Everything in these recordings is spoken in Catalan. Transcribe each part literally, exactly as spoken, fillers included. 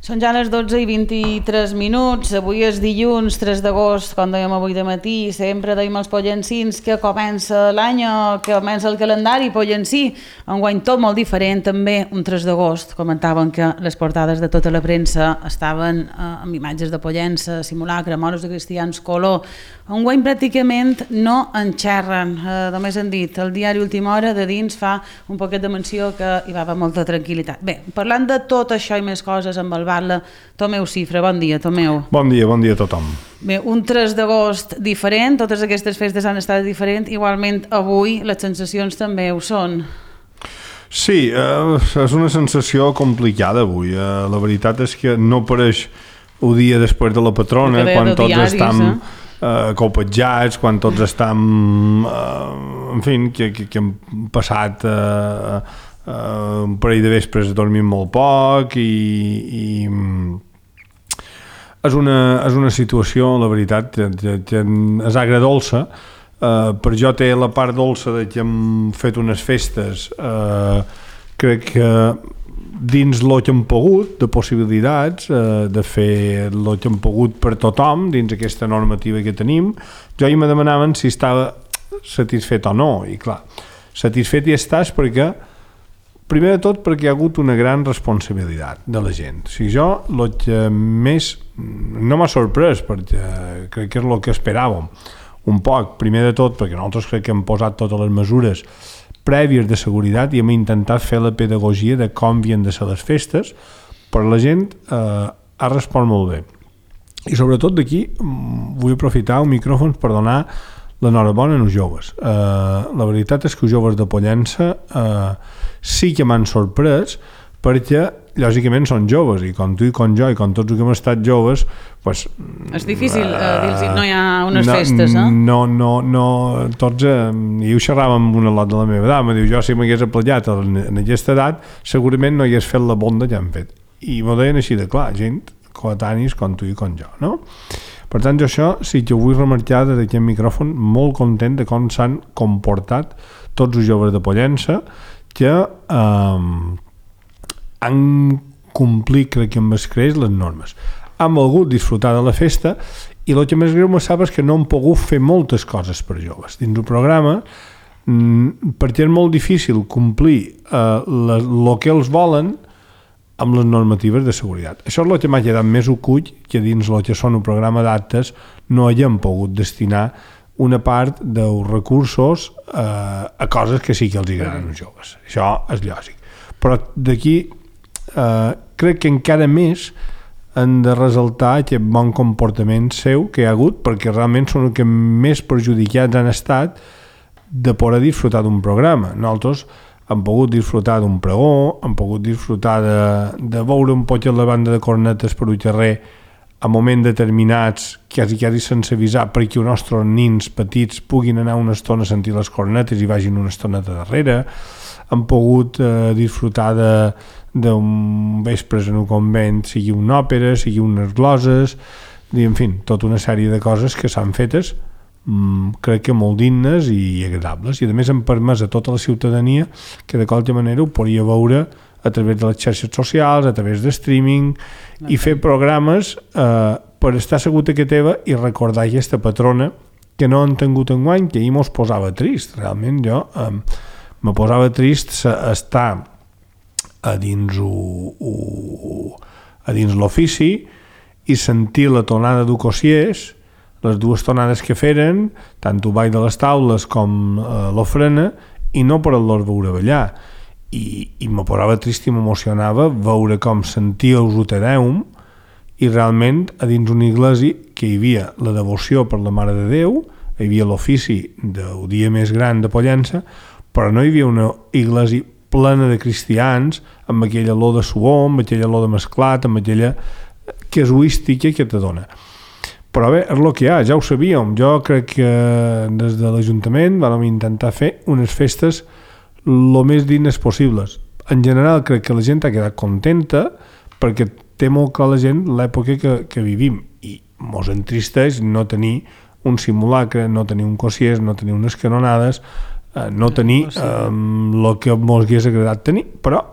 Són ja les dotze i vint-i-tres minuts, avui és dilluns tres d'agost, com dèiem avui de matí, sempre dèiem als pollencins que comença l'any, que comença el calendari pollencí, enguany tot molt diferent, també un tres d'agost, comentaven que les portades de tota la premsa estaven eh, amb imatges de Pollença, simulacre, moros de cristians, color, enguany pràcticament no en xerren, eh, només han dit, el diari Última Hora de dins fa un poquet de menció que hi va haver molta tranquil·litat. Bé, parlant de tot això i més coses amb el Tomeu Cifra, bon dia, Tomeu. Bon dia, bon dia a tothom. Bé, un tres d'agost diferent, totes aquestes festes han estat diferents, igualment avui les sensacions també ho són. Sí, eh, és una sensació complicada avui. Eh, la veritat és que no pareix un dia després de la patrona, quan tots diaris, estem eh? Eh, copetjats, quan tots estem, eh, en fi, que, que, que hem passat... Eh, Uh, un parell de vespres dormim molt poc i, i és, una, és una situació, la veritat, que, que, que és agredolça. Uh, per jo té la part dolça de que hem fet unes festes, uh, crec que dins el que hem pogut, de possibilitats, uh, de fer el que hem pogut per tothom, dins aquesta normativa que tenim. Jo i me demanaven si estava satisfet o no, i clar, satisfet hi estàs perquè primer de tot perquè hi ha hagut una gran responsabilitat de la gent. O sigui, jo el que més no m'ha sorprès, perquè crec que és el que esperàvem un poc, primer de tot perquè nosaltres crec que hem posat totes les mesures prèvies de seguretat i hem intentat fer la pedagogia de com havien de ser les festes, però la gent eh, ha respost molt bé. I sobretot d'aquí vull aprofitar el micròfon per donar l'enhorabona als joves. Uh, la veritat és que els joves de Pollença uh, sí que m'han sorprès perquè, lògicament, són joves i com tu i com jo i com tots els que hem estat joves pues, és difícil uh, dir-los no hi ha unes no, festes, eh? No, no, no, tots, uh, i ho xerràvem amb una lot de la meva edat, me diu, jo si m'hagués aplegat en, en aquesta edat segurament no hagués fet la bonda que han fet. I m'ho deien així de clar, gent coetanis com tu i com jo, no? Per tant, jo això sí que ho vull remarcar des d'aquest micròfon, molt content de com s'han comportat tots els joves de Pollença que eh, han complit, crec que amb escreix, les normes. Han volgut disfrutar de la festa i el que més greu me sap és que no han pogut fer moltes coses per joves. Dins el programa, perquè és molt difícil complir eh, el que els volen amb les normatives de seguretat. Això és el que m'ha quedat més ocull que dins el que són un programa d'actes no haguem pogut destinar una part dels recursos eh, a coses que sí que els agraden als joves. Això és lògic. Però d'aquí eh, crec que encara més han de resaltar aquest bon comportament seu que hi ha hagut, perquè realment són els que més perjudicats han estat de poder disfrutar d'un programa. Nosaltres han pogut disfrutar d'un pregó, han pogut disfrutar de, de veure un poc la banda de cornetes per un carrer a moments determinats, quasi, quasi sense avisar, perquè els nostres nins petits puguin anar una estona a sentir les cornetes i vagin una estoneta darrere. Han pogut eh, disfrutar d'un vespres en un convent, sigui una òpera, sigui unes gloses, i, en fi, tota una sèrie de coses que s'han fetes crec que molt dignes i agradables, i a més han permès a tota la ciutadania que de qualsevol manera ho podia veure a través de les xarxes socials, a través de streaming, i fer programes eh, per estar segut a que teva i recordar aquesta patrona que no han tingut enguany, que ahir mos posava trist. Realment jo eh, me posava trist estar a dins o, o, a dins l'ofici i sentir la tonada d'Ucossiers, les dues tonades que feren, tant el ball de les taules com eh, l'ofrena, i no per el veure ballar. I, i me posava trist i m'emocionava veure com sentia el Utedeum i realment a dins una iglesia que hi havia la devoció per la Mare de Déu, hi havia l'ofici del dia més gran de Pollença, però no hi havia una iglesia plena de cristians amb aquella olor de suor, amb aquella olor de mesclat, amb aquella casuística que te dona. Però bé, és el que hi ha, ja ho sabíem. Jo crec que des de l'Ajuntament vam intentar fer unes festes el més dignes possibles. En general crec que la gent ha quedat contenta perquè té molt clar la gent l'època que, que vivim i mos entristeix no tenir un simulacre, no tenir un Cossiers, no tenir unes canonades, eh, no tenir eh, el que mos hagués agradat tenir, però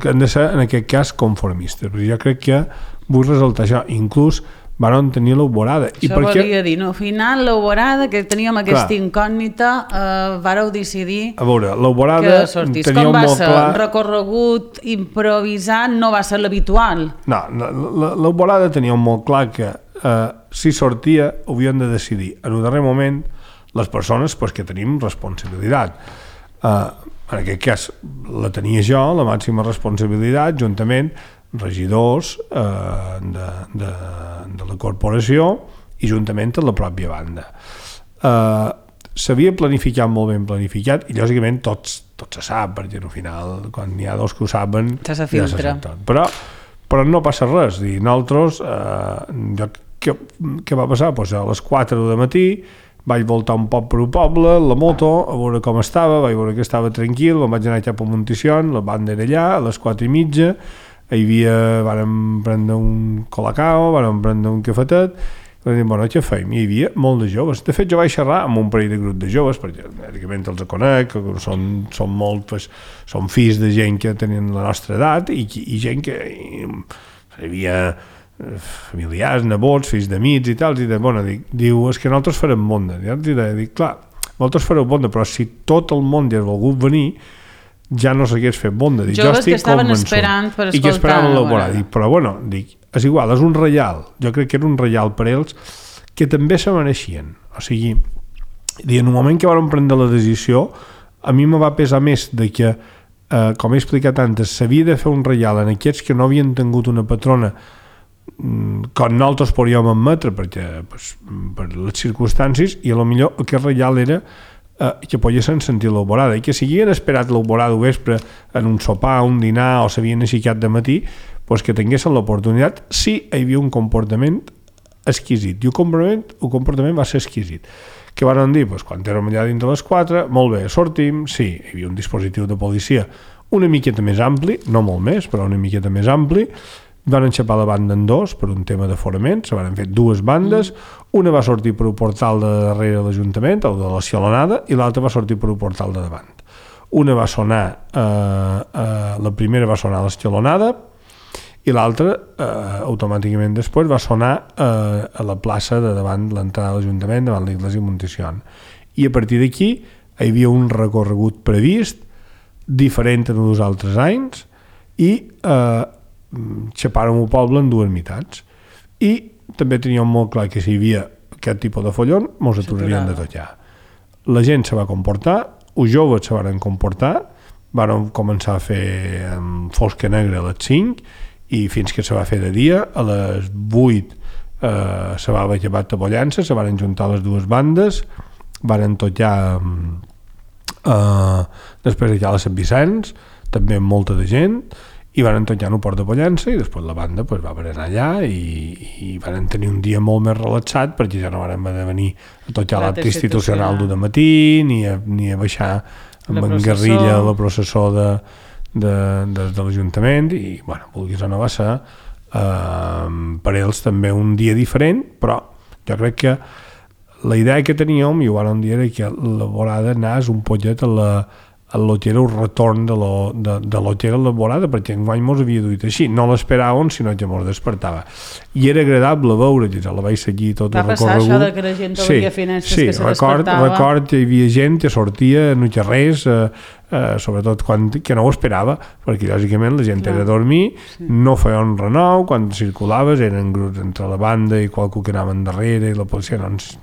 que han de ser, en aquest cas, conformistes. Però jo crec que vull resaltar això. Inclús van tenir l'Alborada. Això volia dir, no? Al final, l'Alborada, que teníem aquesta incògnita, eh, vàreu decidir a veure, l'Alborada que sortís. Com va ser? Un recorregut improvisat no va ser l'habitual? No, l'Alborada tenia molt clar que eh, si sortia havien de decidir en un darrer moment les persones pues, que tenim responsabilitat. Eh, en aquest cas la tenia jo, la màxima responsabilitat, juntament regidors eh, de, de, de la corporació i juntament amb la pròpia banda. Eh, s'havia planificat molt ben planificat i lògicament tots, tots se sap, perquè al final quan n'hi ha dos que ho saben ja se filtra. Ja però, però no passa res. Dir, nosaltres, eh, jo, què, què va passar? Pues a les quatre de matí vaig voltar un poc per un poble, la moto, a veure com estava, vaig veure que estava tranquil, me'n vaig anar cap a Monticion, la banda era allà, a les quatre i mitja, hi havia, vàrem prendre un colacao, vàrem prendre un cafetet, i vam dir, bueno, què feim? Hi havia molt de joves. De fet, jo vaig xerrar amb un parell de grup de joves, perquè bàsicament els conec, són, són molt, pues, són fills de gent que tenen la nostra edat i, i gent que hi havia familiars, nebots, fills d'amics i tal, i de, bueno, dic, diu, és que nosaltres farem monde. I dic, clar, vosaltres fareu monde, però si tot el món hi ha volgut venir, ja no s'hagués fet bonda. Dic, joves que estaven esperant per escoltar. I que esperaven l'elaborar. Dic, però bueno, dic, és igual, és un reial. Jo crec que era un reial per ells que també se mereixien. O sigui, en un moment que vam prendre la decisió, a mi me va pesar més de que, eh, com he explicat antes, s'havia de fer un reial en aquests que no havien tingut una patrona com nosaltres podíem admetre perquè, pues, per les circumstàncies, i a lo millor aquest reial era eh, que poguessin sentir l'alborada i que si havien esperat l'alborada al vespre en un sopar, un dinar o s'havien aixecat de matí, pues que tinguessin l'oportunitat si hi havia un comportament exquisit, i el comportament, el comportament va ser exquisit. Què van dir? Pues, quan érem allà dintre les quatre, molt bé, sortim, sí, hi havia un dispositiu de policia una miqueta més ampli, no molt més, però una miqueta més ampli. Van enxapar la banda en dos per un tema d'aforament, se van fer dues bandes, una va sortir per un portal de darrere de l'Ajuntament, o de la Xalonada, i l'altra va sortir per un portal de davant. Una va sonar, eh, eh, la primera va sonar a l'Escalonada, i l'altra, eh, automàticament després, va sonar eh, a la plaça de davant l'entrada de l'Ajuntament, davant l'Iglésia Monticion. I a partir d'aquí hi havia un recorregut previst, diferent de dos altres anys, i eh, xapàrem el poble en dues meitats. I també teníem molt clar que si hi havia aquest tipus de follon, mos aturarien de tot ja. La gent se va comportar, els joves se van comportar, van començar a fer fosca negra a les cinc i fins que se va fer de dia, a les vuit eh, se va haver llevat a Pollença, se van juntar les dues bandes, van tot ja eh, després allà a Sant Vicenç, també amb molta de gent, i van tot ja en el port de Pollença, i després la banda pues, va haver anar allà i, i van tenir un dia molt més relaxat perquè ja no van haver de venir a tot ja l'acte institucional d'un matí ni a, ni a baixar amb en guerrilla la processó de, de, de, de l'Ajuntament, i bueno, vulguis o no va ser eh, per ells també un dia diferent, però jo crec que la idea que teníem, i ho van dir, era que la volada anés un pollet a la a lo que era el retorn de lo, de, de lo que era la volada, perquè enguany mos havia duit així, no l'esperàvem, sinó que mos despertava. I era agradable veure, que ja la vaig seguir tot el recorregut. Va passar això de que la gent sí, veia finestres sí, que se record, despertava. record que hi havia gent que sortia en els carrers, eh, eh, sobretot quan, que no ho esperava, perquè lògicament la gent Clar. era a dormir, sí. no feia un renou, quan circulaves eren grups entre la banda i qualcú que anaven darrere i la policia, doncs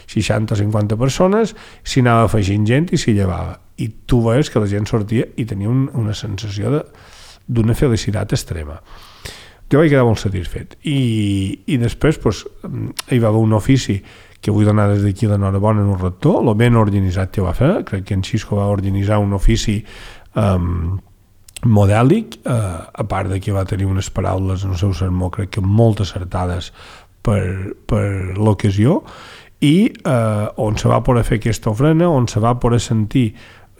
seixanta o cinquanta persones, s'hi anava afegint gent i s'hi llevava. I tu veies que la gent sortia i tenia un, una sensació d'una felicitat extrema. Jo vaig quedar molt satisfet. I, i després pues, hi va haver un ofici que vull donar des d'aquí l'enhorabona en un rector, el ben organitzat que va fer, crec que en Xisco va organitzar un ofici um, modèlic, uh, a part de que va tenir unes paraules en el seu sermó, crec que molt acertades per, per l'ocasió, i eh, on se va poder fer aquesta ofrena, on se va poder sentir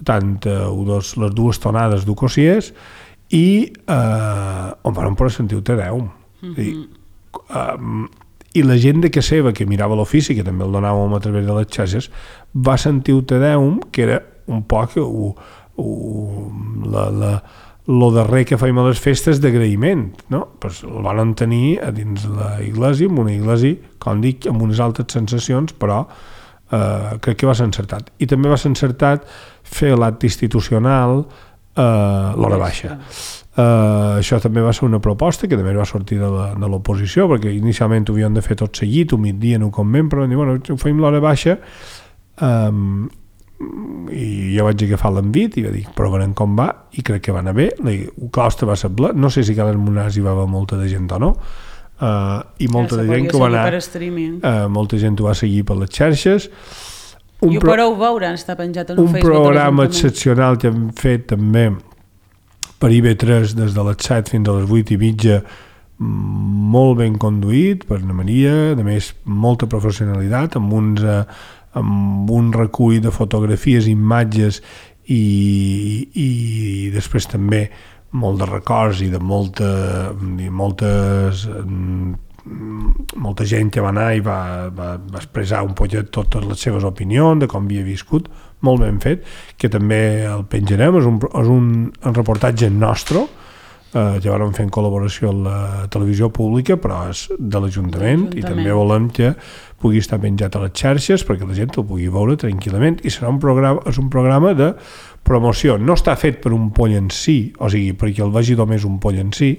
tant eh, dos, les dues tonades d'Ucosiers i eh, on van poder sentir el Te Deum. Mm-hmm. I, eh, I la gent de casa seva que mirava l'ofici, que també el donàvem a través de les xarxes, va sentir el Te Deum, que era un poc u, u, la, la, lo darrer que fèiem a les festes d'agraïment, no? Pues el van tenir a dins la iglesia, en una iglesia, com dic, amb unes altres sensacions, però eh, crec que va ser encertat. I també va ser encertat fer l'acte institucional eh, l'hora baixa. Uh, això també va ser una proposta que també va sortir de l'oposició, perquè inicialment ho havíem de fer tot seguit, un migdia en un convent, però vam dir, bueno, ho fem l'hora baixa, um, i jo vaig agafar l'envit i va dir, provarem com va, i crec que va anar bé. El claustre va ser ple, no sé si a les Monars hi va haver molta de gent o no, uh, i molta ja, de gent que va anar, uh, molta gent ho va seguir per les xarxes. Un I ho pro... podeu veure, està penjat en un, un Facebook. Un programa excepcional que hem fet també per I V tres des de les set fins a les vuit i mitja, molt ben conduït per Ana Maria, a més molta professionalitat, amb, uns, eh, amb un recull de fotografies, imatges i, i després també molt de records i de molta, i moltes molta gent que va anar i va, va, va expressar un poquet totes les seves opinions de com havia viscut, molt ben fet, que també el penjarem, és un, és un, un reportatge nostre, eh, que vam fer en col·laboració amb la televisió pública, però és de l'Ajuntament, i també volem que pugui estar penjat a les xarxes perquè la gent el pugui veure tranquil·lament, i serà un programa, és un programa de promoció. No està fet per un poll en si, o sigui, perquè el vegi només un poll en si,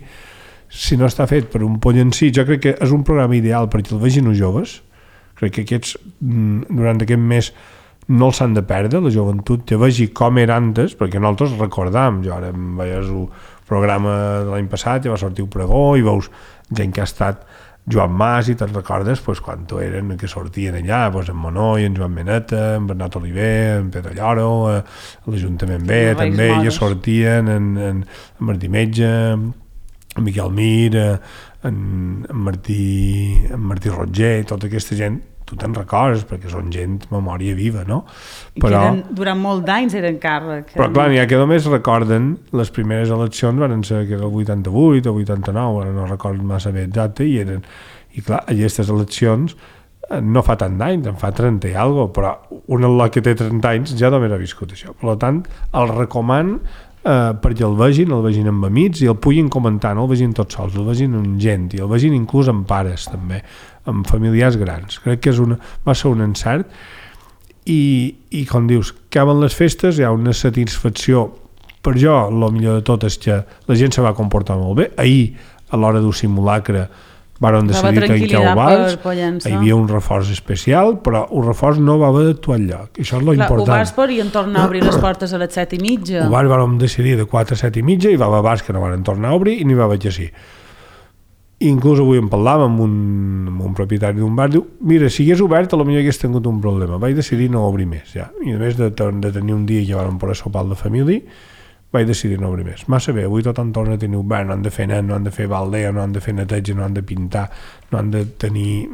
si no està fet per un poll en si, jo crec que és un programa ideal perquè el vegin els joves. Crec que aquests, durant aquest mes, no els han de perdre, la joventut, que vegi com era antes, perquè nosaltres recordam, jo ara em veies el programa de l'any passat, ja va sortir un pregó, i veus gent que ha estat Joan Mas, i te'n recordes pues, quan tu eren que sortien allà, pues, en Monoi, en Joan Meneta, en Bernat Oliver, en Pedro Lloro, a l'Ajuntament B, també, ja sortien en, en, en Martí Metge, en Miquel Mir, en, en, Martí, en Martí Roger, tota aquesta gent, tu te'n recordes, perquè són gent memòria viva, no? I però, que eren, durant molt d'anys eren càrrec. Però clar, n'hi ha que només recorden les primeres eleccions van ser que era el vuitanta-vuit o vuitanta-nou, ara no recordo massa bé exacte, i eren, i clar, aquestes eleccions no fa tant d'anys, en fa trenta i alguna cosa, però un al·lot que té trenta anys ja només ha viscut això. Per tant, el recoman Uh, perquè el vegin, el vegin amb amics i el puguin comentar, no el vegin tots sols, el vegin amb gent i el vegin inclús amb pares també, amb familiars grans. Crec que és una, va ser un encert i, i com dius, acaben les festes, hi ha una satisfacció. Per jo, el millor de tot és que la gent se va comportar molt bé. Ahir, a l'hora d'un simulacre, varen decidir tancar el bars, hi havia un reforç especial, però un reforç no va haver d'actuar enlloc. Això és lo important. Ho bars podien tornar a obrir les portes a les set i mitja. Ho bars vam decidir de quatre a set i mitja, i va haver bars que no van tornar a obrir i n'hi va haver que sí. Inclús avui en parlàvem amb un, amb un propietari d'un bar, diu, mira, si hagués obert potser hagués tingut un problema, vaig decidir no obrir més, ja. I a més de, de tenir un dia que vam poder sopar de família, vaig decidir no obrir més. Massa bé, avui tothom torna a tenir obert, no han de fer net, no han de fer baldea, no han de fer neteja, no han de pintar, no han de tenir...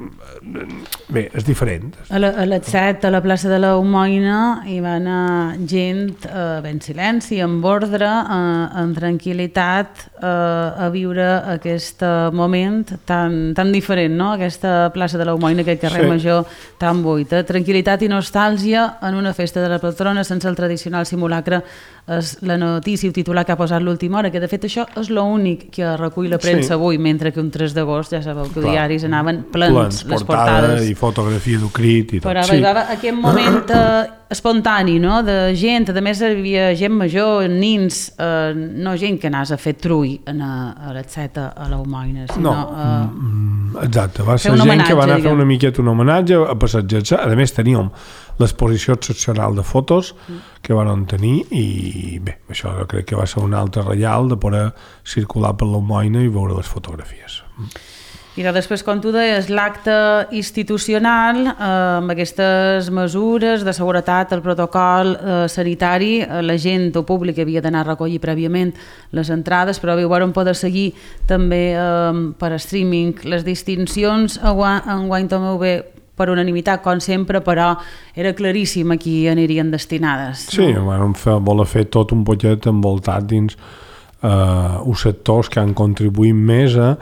Bé, és diferent. A, la, a les set, a la plaça de la Homoina, hi va anar gent eh, ben silenci, amb ordre, eh, en tranquil·litat, eh, a viure aquest moment tan, tan diferent, no? Aquesta plaça de la Homoina, aquest carrer sí. Major tan buit. Eh? Tranquil·litat i nostàlgia en una festa de la patrona sense el tradicional simulacre. És la notícia, el titular que ha posat l'última hora, que de fet això és l'únic que recull la premsa sí. avui, mentre que un tres d'agost ja sabeu que els diaris anaven plens, plens les portades. I fotografia d'Ucrit i tot. Però sí. Arribava aquest moment eh, espontani, no?, de gent, a més hi havia gent major, nins, eh, no gent que anàs a fer trull a, a les set a la Homoina, sinó... No, eh, exacte, va ser gent que va anar a fer una miqueta un homenatge, a passejar-se, a més teníem l'exposició excepcional de fotos que van tenir i bé, això crec que va ser un altre reial de poder circular per la Homoina i veure les fotografies. I després, com tu deies, l'acte institucional, eh, amb aquestes mesures de seguretat, el protocol eh, sanitari, eh, la gent o públic havia d'anar a recollir prèviament les entrades, però ho vam poder seguir també eh, per streaming. Les distincions enguany també bé per unanimitat, com sempre, però era claríssim a qui anirien destinades. Sí, no? Vam fer, voler fer tot un poquet envoltat dins eh, uns sectors que han contribuït més a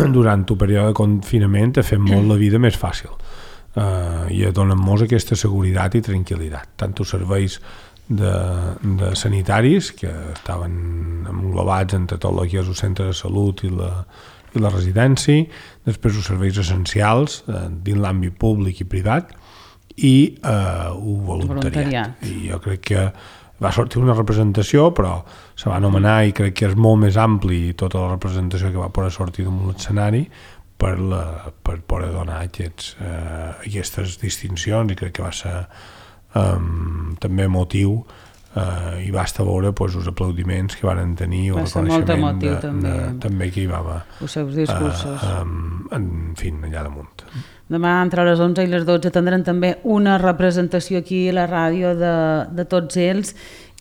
durant el període de confinament ha fet molt la vida més fàcil uh, i a donar-nos aquesta seguretat i tranquil·litat, tant els serveis de, de sanitaris que estaven englobats entre tot el que és el centre de salut i la, i la residència, després els serveis essencials eh, dins l'àmbit públic i privat i eh, el voluntariat. voluntariat. I jo crec que va sortir una representació, però se va anomenar i crec que és molt més ampli tota la representació que va poder sortir d'un l'escenari per, la, per poder donar aquests, eh, aquestes distincions, i crec que va ser um, també emotiu eh, i basta veure pues, els aplaudiments que van tenir o el reconeixement de, també. De, també que hi va haver els seus discursos eh, um, en fi, allà damunt. Demà entre les onze i les dotze tindran també una representació aquí a la ràdio de, de tots ells.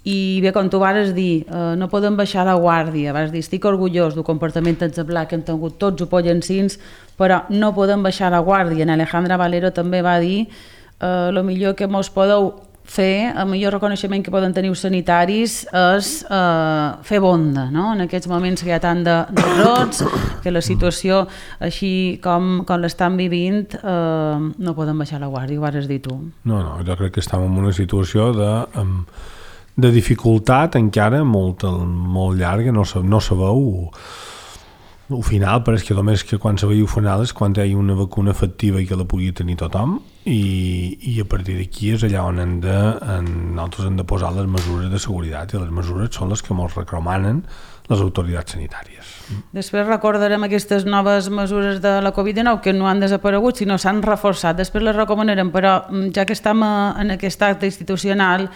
I bé, com tu vares dir, eh, no podem baixar la guàrdia. Vas dir, estic orgullós del comportament exemplar que han tingut tots els pollensins, però no podem baixar la guàrdia. En Alejandra Valero també va dir eh, el millor que mos podeu fer, el millor reconeixement que poden tenir els sanitaris és eh, fer bonda, no? En aquests moments que hi ha tant de, de rots, que la situació així com, com l'estan vivint, eh, no podem baixar la guàrdia, ho vares dir tu. No, no, jo crec que estem en una situació de... Um, de dificultat encara molt, molt llarga, no, no sabeu el final, però és que només que quan sabeu el final és quan hi ha una vacuna efectiva i que la pugui tenir tothom, i, i a partir d'aquí és allà on hem de, en, nosaltres hem de posar les mesures de seguretat, i les mesures són les que ens recomanen les autoritats sanitàries. Després recordarem aquestes noves mesures de la covid dinou que no han desaparegut, sinó s'han reforçat. Després les recomanarem, però ja que estem en aquest acte institucional,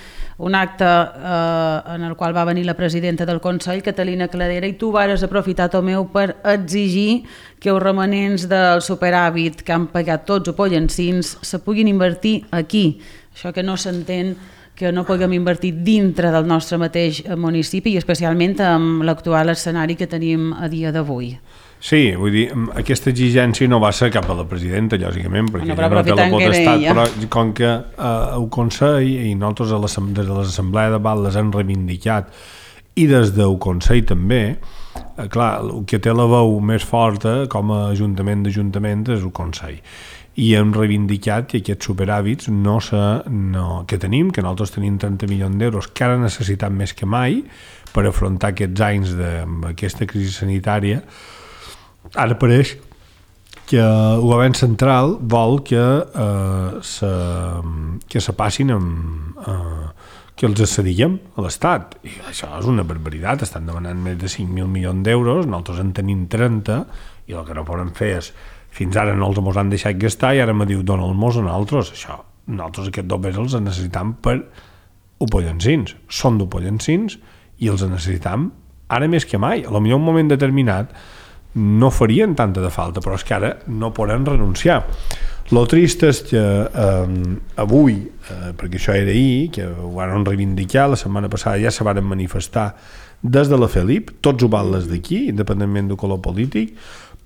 un acte eh, en el qual va venir la presidenta del Consell, Catalina Cladera, i tu vares aprofitar, Tomeu, per exigir que els romanents del superàvit que han pagat tots els pollensins se puguin invertir aquí. Això que no s'entén que no puguem invertir dintre del nostre mateix municipi i especialment amb l'actual escenari que tenim a dia d'avui. Sí, vull dir, aquesta exigència no va ser cap a la presidenta, lògicament, perquè no, ja no té la potestat, però com que eh, el Consell i nosaltres a des de l'Assemblea de Val les hem reivindicat i des del Consell també, eh, clar, el que té la veu més forta com a ajuntament d'ajuntament és el Consell. I hem reivindicat que aquests superàvits no se, no, que tenim, que nosaltres tenim trenta milions d'euros, que ara necessitem més que mai per afrontar aquests anys d'aquesta crisi sanitària. Ara pareix que el govern central vol que eh, se, que se passin amb, eh, que els cedíem a l'Estat. I això és una barbaritat, estan demanant més de cinc mil milions d'euros, nosaltres en tenim trenta, i el que no poden fer és fins ara no els mos han deixat gastar i ara me diu dona'l-mos a nosaltres. Això, nosaltres aquests dobbers els necessitam per opollensins. Són d'opollensins i els necessitam ara més que mai. A lo millor un moment determinat no farien tanta de falta, però és que ara no podem renunciar. Lo trist és que eh, avui, eh, perquè això era ahir, que ho van reivindicar, la setmana passada ja se van manifestar des de la Felip, tots ho van les d'aquí, independentment del color polític,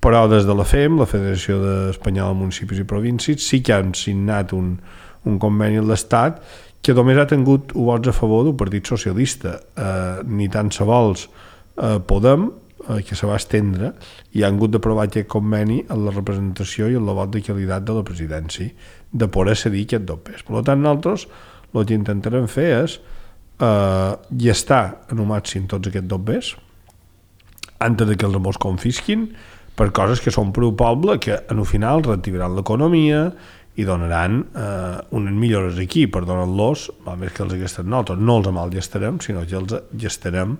però des de la F E M, la Federació Espanyola de Municipis i Províncies, sí que han signat un, un conveni amb l'Estat que només ha tingut vots a favor del Partit Socialista, eh, ni tan se vols eh, Podem, eh, que se va estendre, i han hagut d'aprovar aquest conveni en la representació i en el vot de qualitat de la presidència, de poder cedir aquest dobbers. Per tant, nosaltres el que intentarem fer és eh, gestar en un màxim tots aquests dobbers antes de que els mos confisquin, per coses que són per al poble, que en el final reactivaran l'economia i donaran eh, unes millores aquí, per donar-los, val més que els gestem nosaltres, no els malgestarem, sinó que els gestarem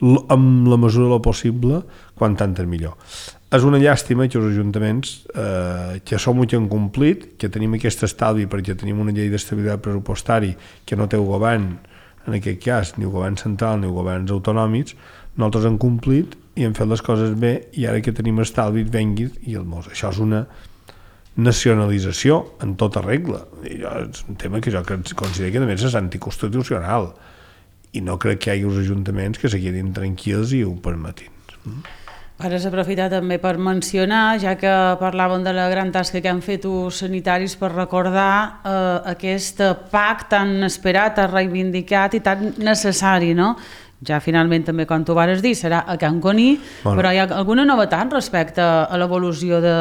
amb la mesura del possible, quan tant és millor. És una llàstima que els ajuntaments, eh, que som molt incomplit, que tenim aquest estalvi perquè tenim una llei d'estabilitat pressupostari que no té el govern, en aquest cas, ni el govern central ni els governs autonòmics, nosaltres hem complit i hem fet les coses bé, i ara que tenim estalvi venguis i el mos. Això és una nacionalització en tota regla. I és un tema que jo considero que a més és anticonstitucional i no crec que hi hagi els ajuntaments que se quedin tranquils i ho permetin. Ara s'aprofita també per mencionar, ja que parlàvem de la gran tasca que han fet els sanitaris, per recordar eh, aquest P A C tan esperat, tan reivindicat i tan necessari, no? Ja finalment també, com tu vares dir, serà a Can Coní, bueno. Però hi ha alguna novetat respecte a l'evolució de,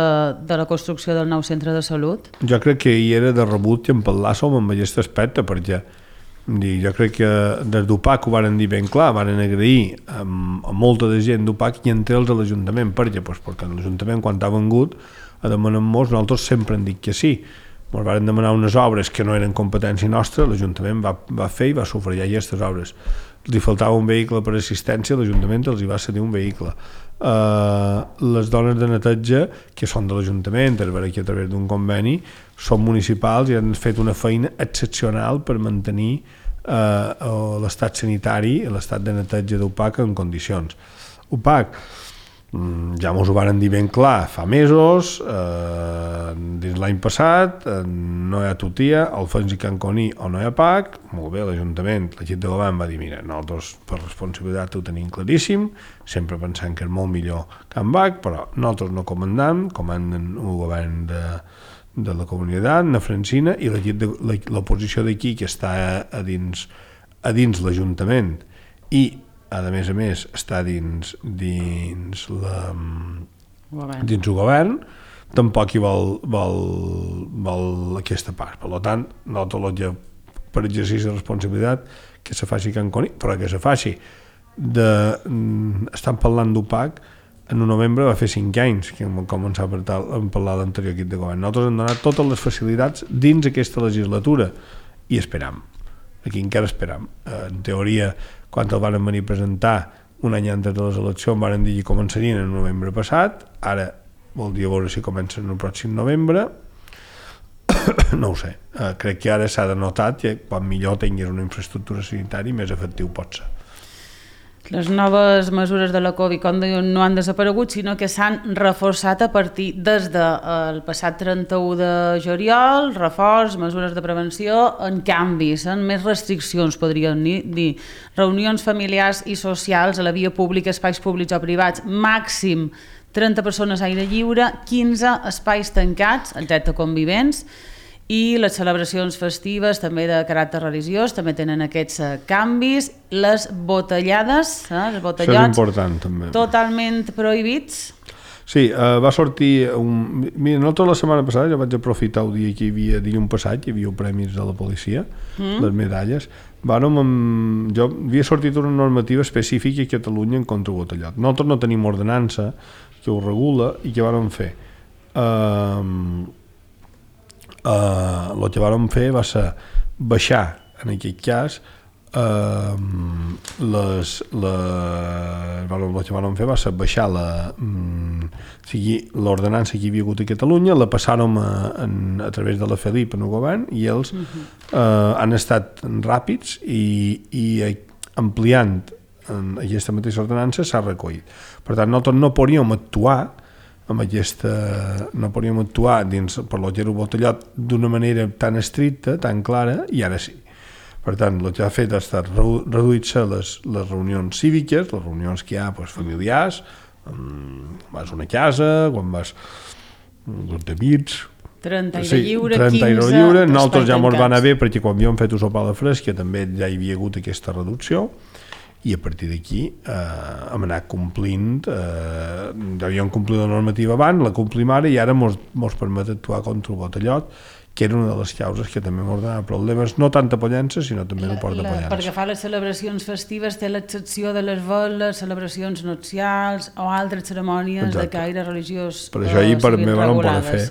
de la construcció del nou centre de salut? Jo crec que hi era de rebut que en parlàssim amb aquest aspecte, perquè Jo crec que des d'UPAC ho varen dir ben clar, varen agrair a, a molta de gent d'UPAC i entre ells a l'Ajuntament. Per què? Pues perquè l'Ajuntament, quan ha vengut, a demanar-nos, nosaltres sempre hem dit que sí. Ens varen demanar unes obres que no eren competència nostra, l'Ajuntament va, va fer i va sufragar aquestes obres. Els faltava un vehicle per assistència, l'Ajuntament els hi va cedir un vehicle. Uh, les dones de neteja, que són de l'Ajuntament, a través d'un conveni, són municipals i han fet una feina excepcional per mantenir uh, l'estat sanitari i l'estat de neteja d'UPAC en condicions. UPAC, ja mos ho varen dir ben clar fa mesos, eh, dins l'any passat, eh, no hi ha tutia, al Fons i Can Coní o no hi ha P A C, molt bé, l'Ajuntament, l'equip de govern va dir, mira, nosaltres per responsabilitat ho tenim claríssim, sempre pensant que és molt millor que en B A C, però nosaltres no comandam, comanden un govern de, de la comunitat, na Francina, i l'equip de l'oposició d'aquí, que està a dins, a dins l'Ajuntament, i a més a més està dins dins la govern. dins el govern, tampoc hi vol, vol, vol aquesta part. Per tant, nosaltres per exercici de responsabilitat que se faci Can Coní, però que se faci de, estan parlant d'UPAC, en un novembre va fer cinc anys que hem començat a parlar l'anterior equip de govern. Nosaltres hem donat totes les facilitats dins aquesta legislatura i esperam. Aquí encara esperam. En teoria, quan el van venir a presentar un any antes de les eleccions van dir que començarien en novembre passat, ara vol dir a veure si comencen el pròxim novembre, no ho sé, uh, crec que ara s'ha de notar que quan millor tinguis una infraestructura sanitària més efectiu pot ser. Les noves mesures de la Covid, com diuen, no han desaparegut, sinó que s'han reforçat a partir des del passat trenta-u de juliol, reforç, mesures de prevenció, en canvis, en més restriccions, podríem dir, reunions familiars i socials a la via pública, espais públics o privats, màxim trenta persones a aire lliure, quinze espais tancats, excepte convivents, i les celebracions festives també de caràcter religiós també tenen aquests uh, canvis, les botellades, eh, els botellots, això és important també, totalment prohibits. Sí, uh, va sortir un... Mira, no tota la setmana passada jo vaig aprofitar el dia que hi havia, dilluns passat, hi havia premis de la policia, mm. les medalles. Vàrem amb... Jo havia sortit una normativa específica a Catalunya en contra el botellot. Nosaltres no tenim ordenança que ho regula i què vàrem fer? Uh, Uh, el que vàrem fer va ser baixar, en aquest cas, uh, les, les, el que vàrem fer va ser baixar la, um, l'ordenança que hi havia hagut a Catalunya, la passàrem a, a, a través de la Felip en el govern i ells uh-huh. uh, han estat ràpids i, i ampliant en aquesta mateixa ordenança s'ha recollit. Per tant, nosaltres no podríem actuar amb aquesta, no podíem actuar dins per lo que era el botellot d'una manera tan estricta, tan clara, i ara sí. Per tant, el que ha fet ha estat reduir-se les, les reunions cíviques, les reunions que hi ha pues, familiars, vas a una casa, quan vas un grup d'amics, trenta aire sí, lliure, trenta quinze aire lliure. Nosaltres ja tancats. ens va anar bé perquè quan havíem fet un sopar de fresca també ja hi havia hagut aquesta reducció i a partir d'aquí eh, hem anat complint, eh, ja havíem complit la normativa abans, la complim ara i ara mos, mos permet actuar contra el botellot, que era una de les causes que també mos donava problemes, no tant a Pollença, sinó també a Port de Pollença. Perquè fa les celebracions festives té l'excepció de les veles, celebracions nupcials o altres cerimònies Exacte. De caire religiós. Per això ahir per mi van poder fer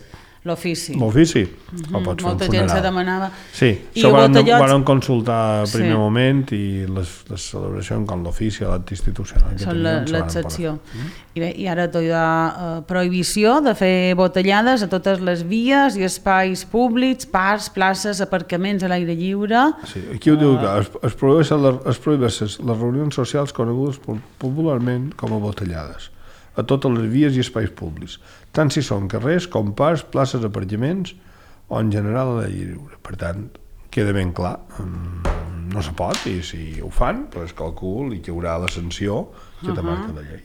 l'ofici. L'ofici? Mm-hmm. O pots fer Molta un gent se demanava. Sí, I això van, botellots... van consultar al primer sí. moment i les, les celebracions com l'ofici, l'acte institucional. Són l'excepció. Mm? I, bé, I ara tot hi ha uh, prohibició de fer botellades a totes les vies i espais públics, parcs, places, aparcaments a l'aire lliure. Sí, aquí ho uh... diu que es, es prohibeixen les, es prohibeixen les reunions socials conegudes popularment com a botellades a totes les vies i espais públics, tant si són carrers com parcs, places, aparcaments o en general a l'aire lliure. Per tant, queda ben clar, no se pot i si ho fan, doncs calcul i que hi haurà la sanció que te marca la llei.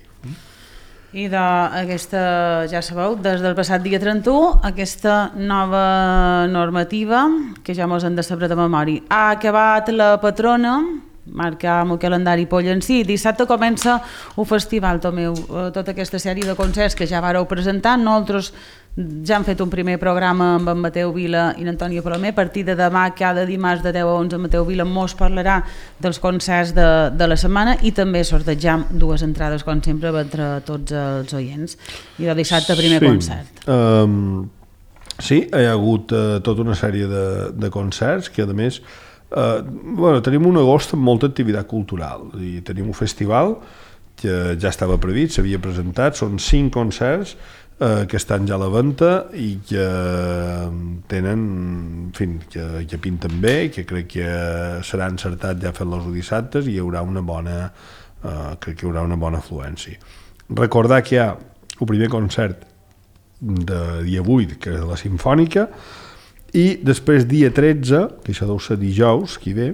I d'aquesta, ja sabeu, des del passat dia trenta-u, aquesta nova normativa, que ja mos han de saber de memòria, ha acabat la patrona, marcar amb el calendari pollencí. Dissabte comença un festival, Tomeu, tota aquesta sèrie de concerts que ja vareu presentar. Nosaltres ja han fet un primer programa amb en Mateu Vila i l'Antònia Palomer. A partir de demà, cada dimarts de deu a onze, en Mateu Vila mos parlarà dels concerts de, de la setmana i també sortegem dues entrades, com sempre, entre tots els oients. I de dissabte, primer sí. concert. Um, sí, hi ha hagut uh, tota una sèrie de, de concerts que, a més, uh, bueno, tenim un agost amb molta activitat cultural. I tenim un festival que ja estava previst, s'havia presentat, són cinc concerts eh, que estan ja a la venda i que tenen, en fi, que, que pinten bé, que crec que serà encertat ja fer-los dissabtes i hi haurà una bona, eh, crec que hi haurà una bona afluència. Recordar que hi ha el primer concert de dia vuit, que és de la Simfònica, i després dia tretze, que això deu ser dijous, qui ve,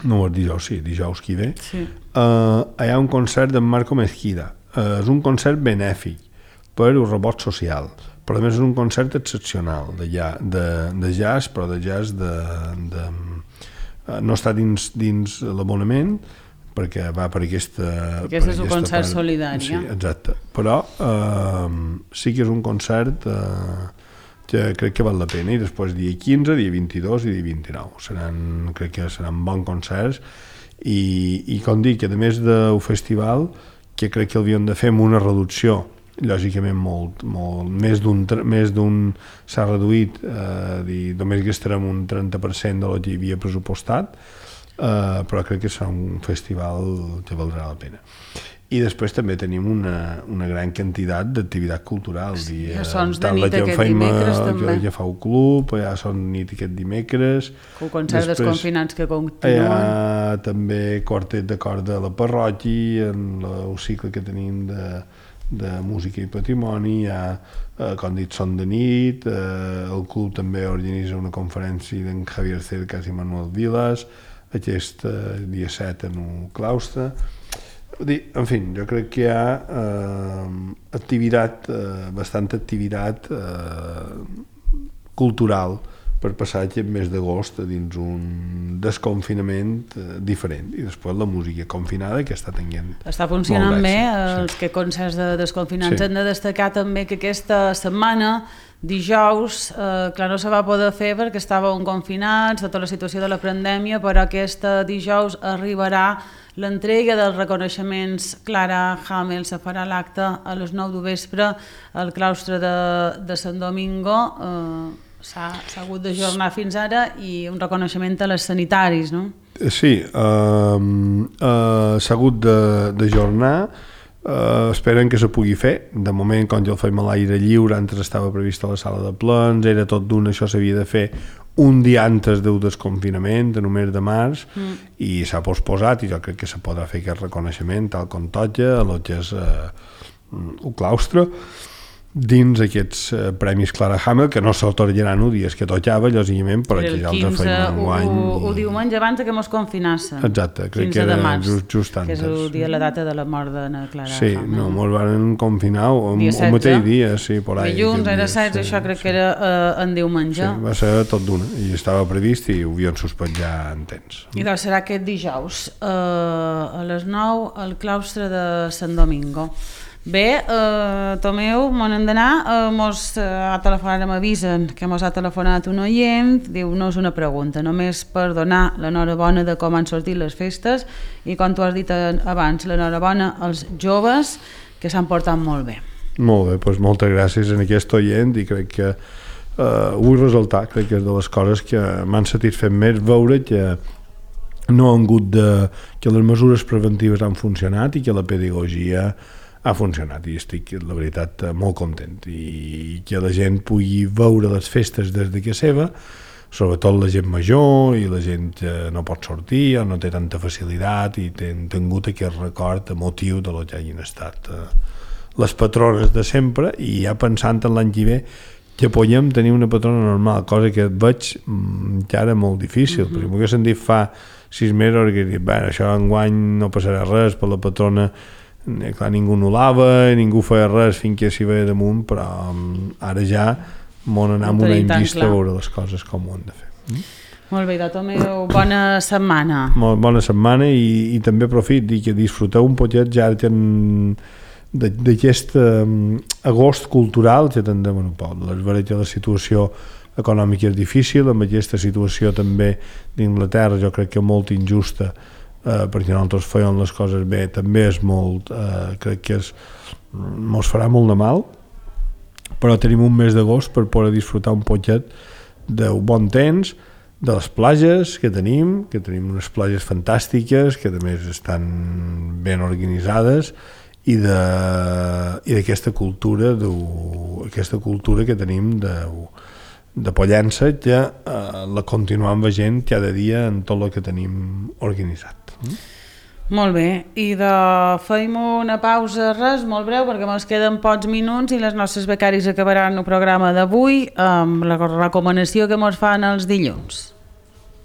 no és dijous, sí, dijous qui ve, sí. uh, hi ha un concert d'en Marco Mezquida. Uh, és un concert benèfic per un rebot social, però a més és un concert excepcional de, ja, de, de jazz, però de jazz de, de, uh, no està dins, dins l'abonament, perquè va per aquesta... Aquest per és un concert part. Solidari. Sí, exacte. Però uh, sí que és un concert... Uh, que crec que val la pena, i després dia quinze, dia vint-i-dos i dia vint-i-nou seran, crec que seran bons concerts i, i com dic, a més del festival, que crec que l'havíem de fer amb una reducció lògicament molt, molt més d'un més d'un s'ha reduït, eh, dir, només gastarem un trenta per cent del que hi havia pressupostat, eh, però crec que serà un festival que valdrà la pena. I després també tenim una, una gran quantitat d'activitat cultural. Sí, hi ha sons de nit aquest dimecres també. Ja fa un club, hi ha sons de nit aquest dimecres. Un concert dels confinats que continuen. Hi ha també quartet de corda a la parròquia, en el cicle que tenim de, de música i patrimoni, hi ha, eh, com dit, son de nit, eh, el club també organitza una conferència d'en Javier Cercas i Manuel Vilas, aquest eh, dia set en un claustre. En fi, jo crec que hi ha eh, activitat, eh, bastanta activitat eh, cultural per passar aquest mes d'agost dins un desconfinament eh, diferent, i després la música confinada que està tenint està funcionant bé, els sí. que concerts de desconfinats sí. Han de destacar també que aquesta setmana dijous, eh, clar, no se va poder fer perquè estàvem confinats, tota la situació de la pandèmia, però aquesta dijous arribarà l'entrega dels reconeixements. Clara Hamel se farà l'acte a les nou de vespre al claustre de, de Sant Domingo. Eh, s'ha hagut d'ajornar fins ara, i un reconeixement a les sanitaris, no? Sí, eh, eh, s'ha hagut d'ajornar. Uh, esperen que se pugui fer. De moment, com ja el fem a l'aire lliure, antes estava previst a la sala de plens, era tot d'un, això s'havia de fer un dia antes del desconfinament, en el mes de març, mm. i s'ha posposat, i jo crec que se podrà fer aquest reconeixement tal com toca a lo que és uh, el claustre, dins aquests uh, premis Clara Hamel, que no s'atorgaran els dies que tocava, lògicament, però que ja els feim un guany. El i... diumenge abans que mos confinassen. Exacte, crec que era just, just antes. Que és el dia, la data de la mort de Clara sí, Hamel. Sí, no, mos van confinar el mateix dia, sí, por ahí. Dilluns era setze, sí, això crec sí. que era uh, en diumenge. Sí, va ser tot d'una, i estava previst i ho havien suspès ja en temps. I doncs serà aquest dijous, uh, a les nou, al claustre de Sant Domingo. Bé, eh, Tomeu, m'on hem d'anar, eh, mos eh, ha telefonat, m'avisen que mos ha telefonat un oient, diu, no és una pregunta, només per donar l'enhorabona de com han sortit les festes, i com tu has dit abans, l'enhorabona als joves, que s'han portat molt bé. Molt bé, doncs moltes gràcies a aquest oient, i crec que eh, vull resaltar, crec que és de les coses que m'han satisfet més veure que no han hagut de... que les mesures preventives han funcionat i que la pedagogia ha funcionat, i estic, la veritat, molt content, i que la gent pugui veure les festes des de casa seva, sobretot la gent major i la gent que no pot sortir o no té tanta facilitat, i han tingut aquest record emotiu de lo que hagin estat eh, les patrones de sempre, i ja pensant en l'any que ve que podem tenir una patrona normal, cosa que veig que ara molt difícil, mm-hmm. perquè m'ho haguessin dit fa sis mesos que dit, bueno, això enguany no passarà res per la patrona. Clar, ningú anul·lava, ningú feia res fins que s'hi veia damunt, però um, ara ja m'on anar amb una envista a veure les coses com ho han de fer. Mm? Molt bé, Tomeu, bona setmana. Molt bona setmana, i, i també aprofit i que disfruteu un poquet, ja que en, d'aquest um, agost cultural que tindrem en un poc. Les veig la situació econòmica és difícil, amb aquesta situació també d'Inglaterra jo crec que molt injusta, eh, perquè nosaltres fèiem les coses bé, també és molt, eh, crec que és, mos farà molt de mal, però tenim un mes d'agost per poder disfrutar un poquet d'un bon temps, de les platges que tenim, que tenim unes platges fantàstiques, que a més estan ben organitzades, i d'aquesta cultura, aquesta cultura que tenim de, de Pollença, que eh, la continuem veient cada dia en tot el que tenim organitzat. Mm? Molt bé, i de feim una pausa, res, molt breu, perquè ens queden pocs minuts i les nostres becaris acabaran el programa d'avui amb la recomanació que ens fan els dilluns.